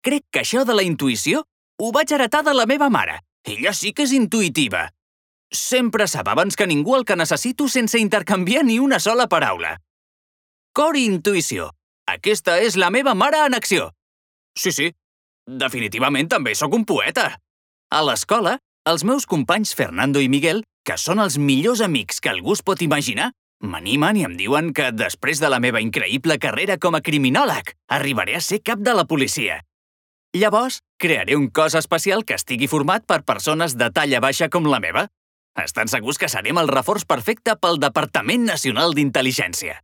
crec que això de la intuïció ho vaig heretar de la meva mare. Ella sí que és intuïtiva. Sempre sap abans que ningú el que necessito sense intercanviar ni una sola paraula. Cor i intuïció. Aquesta és la meva mare en acció. Sí, definitivament també sóc un poeta. A l'escola, els meus companys Fernando i Miguel, que són els millors amics que algú es pot imaginar, m'animen i em diuen que després de la meva increïble carrera com a criminòleg, arribaré a ser cap de la policia. Llavors, crearé un cos especial que estigui format per persones de talla baixa com la meva. Estan segurs que serem el reforç perfecte pel Departament Nacional d'Intel·ligència.